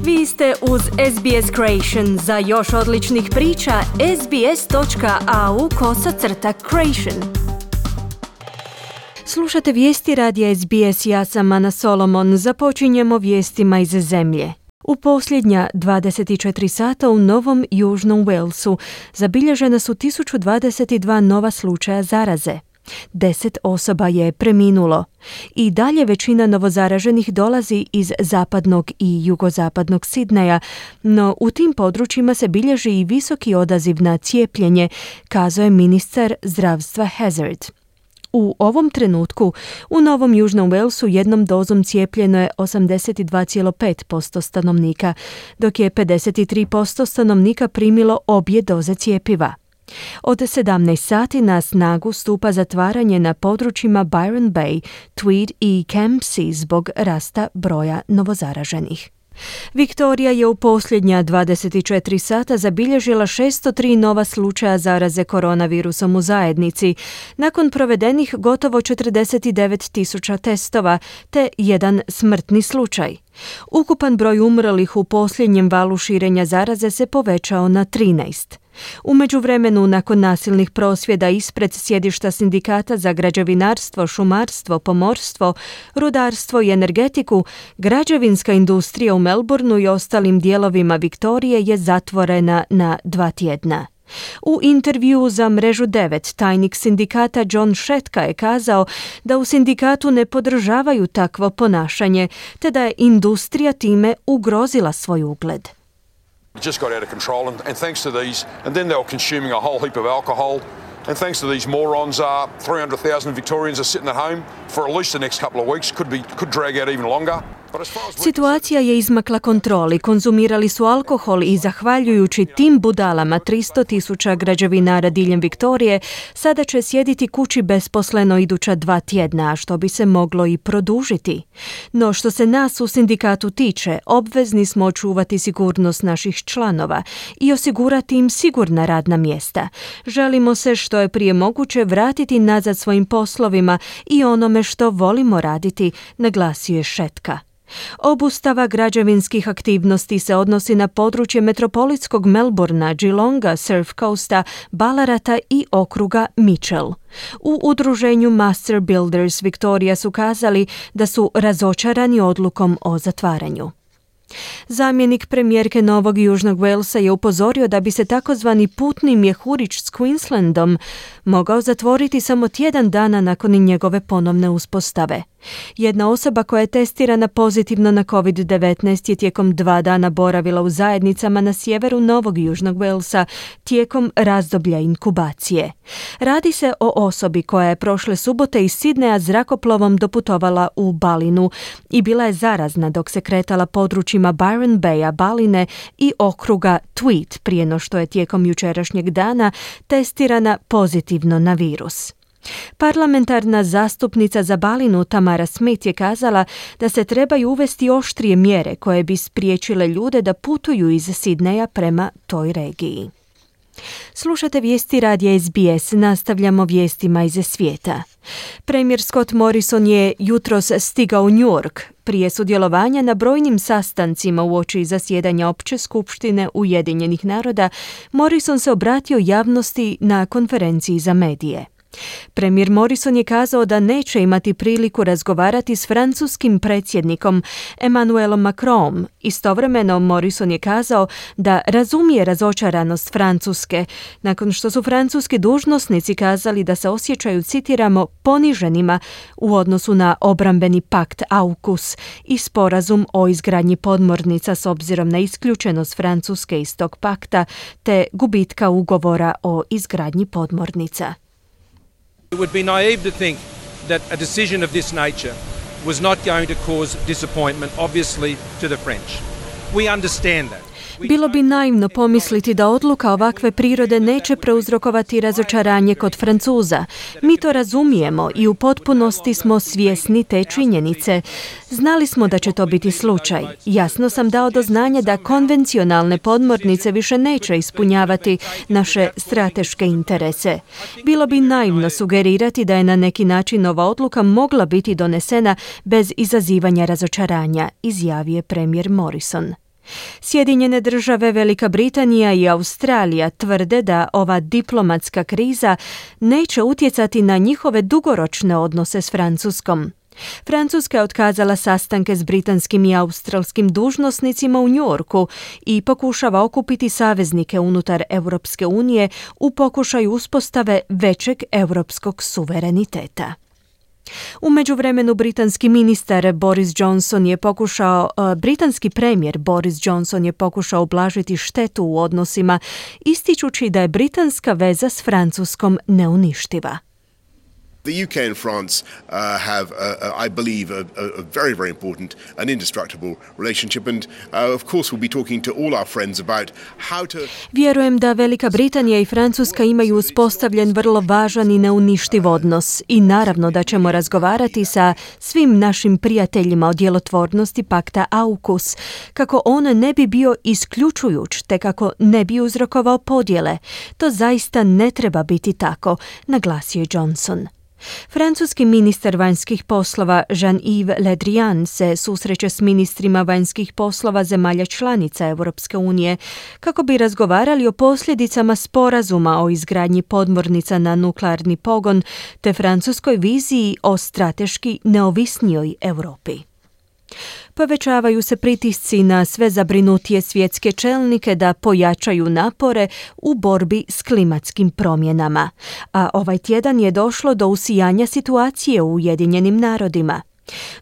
Vi ste uz SBS Creation. Za još odličnih priča, sbs.au/creation. Slušate vijesti radija SBS, ja sam Ana Solomon. Započinjemo vijestima iz zemlje. U posljednja 24 sata u Novom Južnom Walesu zabilježena su 1022 nova slučaja zaraze. 10 osoba je preminulo. I dalje većina novozaraženih dolazi iz zapadnog i jugozapadnog Sidneja, no u tim područjima se bilježi i visoki odaziv na cijepljenje, kazao je ministar zdravstva Hazzard. U ovom trenutku u Novom Južnom Walesu jednom dozom cijepljeno je 82,5% stanovnika, dok je 53% stanovnika primilo obje doze cjepiva. Od 17 sati na snagu stupa zatvaranje na područjima Byron Bay, Tweed i Campsie zbog rasta broja novozaraženih. Viktorija je u posljednja 24 sata zabilježila 603 nova slučaja zaraze koronavirusom u zajednici, nakon provedenih gotovo 49.000 testova, te jedan smrtni slučaj. Ukupan broj umrlih u posljednjem valu širenja zaraze se povećao na 13. U međuvremenu, nakon nasilnih prosvjeda ispred sjedišta sindikata za građevinarstvo, šumarstvo, pomorstvo, rudarstvo i energetiku, građevinska industrija u Melbourneu i ostalim dijelovima Viktorije je zatvorena na 2 tjedna. U intervjuu za Mrežu 9 tajnik sindikata John Shetka je kazao da u sindikatu ne podržavaju takvo ponašanje, te da je industrija time ugrozila svoj ugled. It just got out of control, and thanks to these, and then they were consuming a whole heap of alcohol, and thanks to these morons, 300,000 Victorians are sitting at home for at least the next couple of weeks, could drag out even longer. Situacija je izmakla kontroli, konzumirali su alkohol i zahvaljujući tim budalama 300.000 građevinara diljem Viktorije sada će sjediti kući besposleno iduća 2 tjedna, što bi se moglo i produžiti. No što se nas u sindikatu tiče, obvezni smo očuvati sigurnost naših članova i osigurati im sigurna radna mjesta. Želimo se što je prije moguće vratiti nazad svojim poslovima i onome što volimo raditi, naglasio je Shetka. Obustava građevinskih aktivnosti se odnosi na područje metropolitskog Melbourna, Geelonga, Surf Coasta, Ballarata i okruga Mitchell. U udruženju Master Builders Victoria su kazali da su razočarani odlukom o zatvaranju. Zamjenik premijerke Novog Južnog Walesa je upozorio da bi se takozvani putni mjehurić s Queenslandom mogao zatvoriti samo tjedan dana nakon njegove ponovne uspostave. Jedna osoba koja je testirana pozitivno na COVID-19 je tijekom 2 dana boravila u zajednicama na sjeveru Novog Južnog Walesa tijekom razdoblja inkubacije. Radi se o osobi koja je prošle subote iz Sidneja zrakoplovom doputovala u Balinu i bila je zarazna dok se kretala područjima Byron Baya, Baline i okruga Tweed prije no što je tijekom jučerašnjeg dana testirana pozitivno na virus. Parlamentarna zastupnica za Balinu Tamara Smith je kazala da se trebaju uvesti oštrije mjere koje bi spriječile ljude da putuju iz Sidneja prema toj regiji. Slušate vijesti radija SBS, nastavljamo vijestima iz svijeta. Premijer Scott Morrison je jutros stigao u New York prije sudjelovanja na brojnim sastancima uoči zasjedanja Opće skupštine Ujedinjenih naroda. Morrison se obratio javnosti na konferenciji za medije. Premijer Morrison je kazao da neće imati priliku razgovarati s francuskim predsjednikom Emmanuelom Macronom. Istovremeno Morrison je kazao da razumije razočaranost Francuske, nakon što su francuski dužnosnici kazali da se osjećaju, citiramo, poniženima u odnosu na obrambeni pakt AUKUS i sporazum o izgradnji podmornica s obzirom na isključenost Francuske iz tog pakta te gubitka ugovora o izgradnji podmornica. It would be naive to think that a decision of this nature was not going to cause disappointment, obviously, to the French. We understand that. Bilo bi naivno pomisliti da odluka ovakve prirode neće prouzrokovati razočaranje kod Francuza. Mi to razumijemo i u potpunosti smo svjesni te činjenice. Znali smo da će to biti slučaj. Jasno sam dao do znanja da konvencionalne podmornice više neće ispunjavati naše strateške interese. Bilo bi naivno sugerirati da je na neki način ova odluka mogla biti donesena bez izazivanja razočaranja, izjavio je premijer Morrison. Sjedinjene države, Velika Britanija i Australija tvrde da ova diplomatska kriza neće utjecati na njihove dugoročne odnose s Francuskom. Francuska je otkazala sastanke s britanskim i australskim dužnosnicima u Njujorku i pokušava okupiti saveznike unutar Europske unije u pokušaju uspostave većeg europskog suvereniteta. U međuvremenu britanski premijer Boris Johnson je pokušao ublažiti štetu u odnosima, ističući da je britanska veza s Francuskom neuništiva. The UK and France have, I believe, a very, very important and indestructible relationship, and of course we'll be talking to all our friends about how to... Vjerujem da Velika Britanija i Francuska imaju uspostavljen vrlo važan i neuništiv odnos i naravno da ćemo razgovarati sa svim našim prijateljima o djelotvornosti pakta AUKUS, kako on ne bi bio isključujuć te kako ne bi uzrokovao podjele. To zaista ne treba biti tako, naglasio je Johnson. Francuski ministar vanjskih poslova Jean-Yves Le Drian se susreće s ministrima vanjskih poslova zemalja članica Europske unije kako bi razgovarali o posljedicama sporazuma o izgradnji podmornica na nuklearni pogon te francuskoj viziji o strateški neovisnijoj Europi. Povećavaju se pritisci na sve zabrinutije svjetske čelnike da pojačaju napore u borbi s klimatskim promjenama, a ovaj tjedan je došlo do usijanja situacije u Ujedinjenim narodima.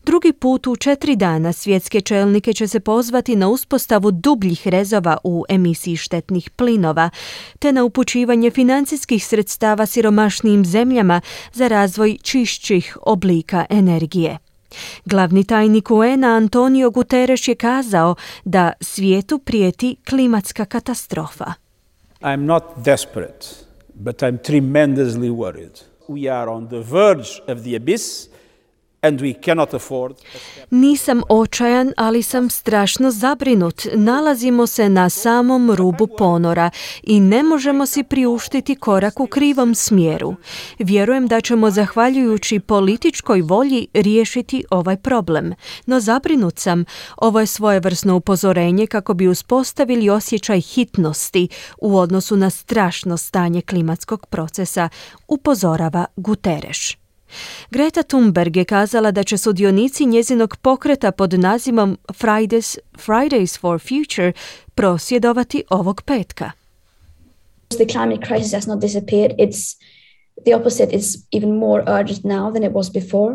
Drugi put u 4 dana svjetske čelnike će se pozvati na uspostavu dubljih rezova u emisiji štetnih plinova, te na upućivanje financijskih sredstava siromašnijim zemljama za razvoj čišćih oblika energije. Glavni tajnik UN-a Antonio Guterres je kazao da svijetu prijeti klimatska katastrofa. I'm not desperate, but I'm tremendously worried. We are on the verge of the abyss. And we cannot afford... Nisam očajan, ali sam strašno zabrinut. Nalazimo se na samom rubu ponora i ne možemo si priuštiti korak u krivom smjeru. Vjerujem da ćemo zahvaljujući političkoj volji riješiti ovaj problem. No zabrinut sam. Ovo je svojevrsno upozorenje kako bi uspostavili osjećaj hitnosti u odnosu na strašno stanje klimatskog procesa, upozorava Guterres. Greta Thunberg je kazala da će sudionici njezinog pokreta pod nazivom Fridays for Future prosvjedovati ovog petka. The climate crisis has not disappeared. It's the opposite. It's even more urgent now than it was before.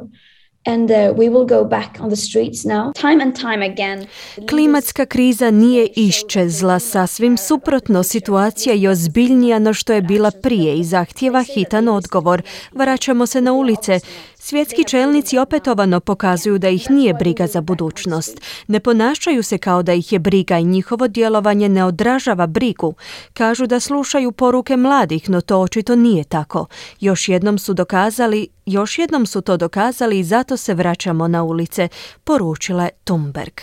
And we will go back on the streets now, time and time again. Klimatska kriza nije iščezla, sasvim suprotno, situacija je ozbiljnija no što je bila prije i zahtijeva hitan odgovor. Vraćamo se na ulice. Svjetski čelnici opetovano pokazuju da ih nije briga za budućnost. Ne ponašaju se kao da ih je briga i njihovo djelovanje ne odražava brigu. Kažu da slušaju poruke mladih, no to očito nije tako. Još jednom su to dokazali i zato se vraćamo na ulice, poručila je Thunberg.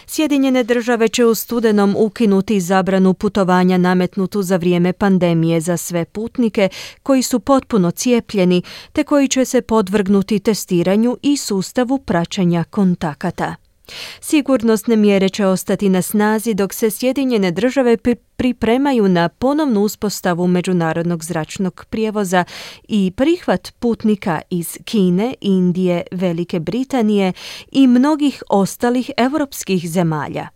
Sjedinjene države će u studenom ukinuti zabranu putovanja nametnutu za vrijeme pandemije za sve putnike koji su potpuno cijepljeni te koji će se podvrgnuti testiranju i sustavu praćenja kontakata. Sigurnosne mjere će ostati na snazi dok se Sjedinjene države pripremaju na ponovnu uspostavu međunarodnog zračnog prijevoza i prihvat putnika iz Kine, Indije, Velike Britanije i mnogih ostalih europskih zemalja.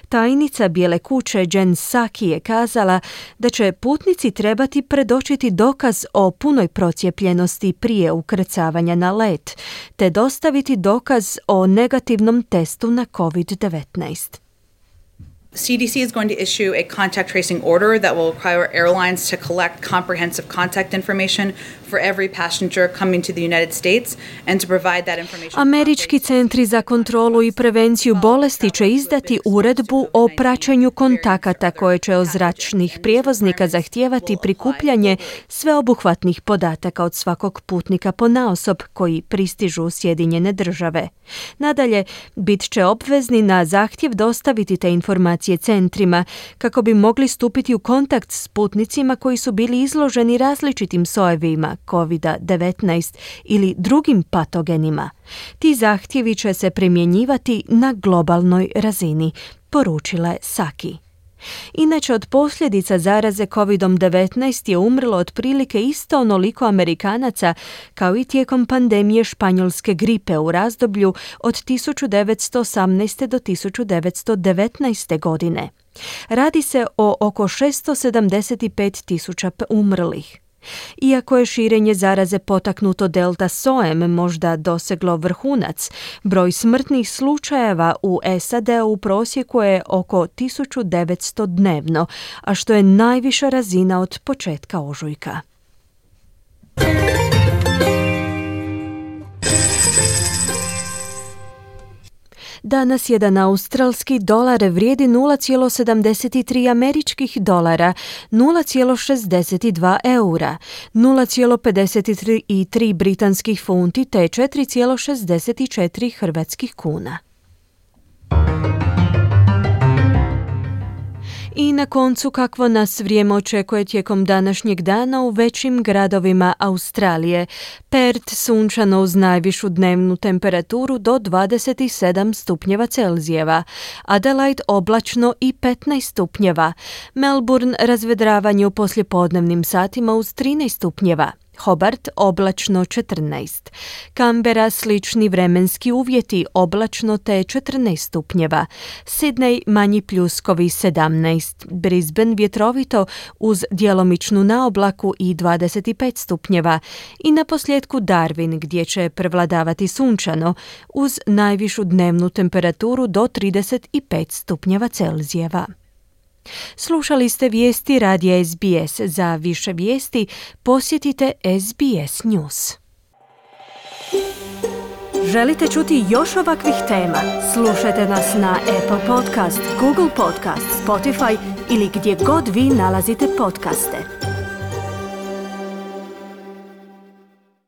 Tajnica Bijele kuće Jen Psaki je kazala da će putnici trebati predočiti dokaz o punoj procijepljenosti prije ukrcavanja na let, te dostaviti dokaz o negativnom testu na COVID-19. CDC is going to issue a contact tracing order that will require airlines to collect comprehensive contact information for every passenger coming to the United States and to provide that information. Američki centri za kontrolu i prevenciju bolesti će izdati uredbu o praćenju kontakata koje će od zračnih prijevoznika zahtijevati prikupljanje sveobuhvatnih podataka od svakog putnika ponaosob koji pristižu u Sjedinjene države. Nadalje, bit će obvezni na zahtjev dostaviti te informacije centrima kako bi mogli stupiti u kontakt s putnicima koji su bili izloženi različitim sojevima COVID-19 ili drugim patogenima. Ti zahtjevi će se primjenjivati na globalnoj razini, poručila je Saki. Inače, od posljedica zaraze COVID-19 je umrlo otprilike isto onoliko Amerikanaca kao i tijekom pandemije španjolske gripe u razdoblju od 1918. do 1919. godine. Radi se o oko 675.000 umrlih. Iako je širenje zaraze potaknuto delta sojem možda doseglo vrhunac, broj smrtnih slučajeva u SAD-u u prosjeku je oko 1900 dnevno, a što je najviša razina od početka ožujka. Danas jedan australski dolar vrijedi 0,73 američkih dolara, 0,62 eura, 0,53 britanskih funti te 4,64 hrvatskih kuna. I na koncu, kakvo nas vrijeme očekuje tijekom današnjeg dana u većim gradovima Australije. Perth sunčano uz najvišu dnevnu temperaturu do 27 stupnjeva Celzijeva, Adelaide oblačno i 15 stupnjeva, Melbourne razvedravanje u poslijepodnevnim satima uz 13 stupnjeva, Hobart oblačno 14, Canberra slični vremenski uvjeti oblačno te 14 stupnjeva, Sydney manji pljuskovi 17, Brisbane vjetrovito uz djelomičnu naoblaku i 25 stupnjeva i na posljedku Darwin gdje će prevladavati sunčano uz najvišu dnevnu temperaturu do 35 stupnjeva Celzijeva. Slušali ste vijesti radija SBS. Za više vijesti posjetite SBS News. Želite čuti još ovakvih tema? Slušajte nas na Apple Podcast, Google Podcast, Spotify ili gdje god vi nalazite podcaste.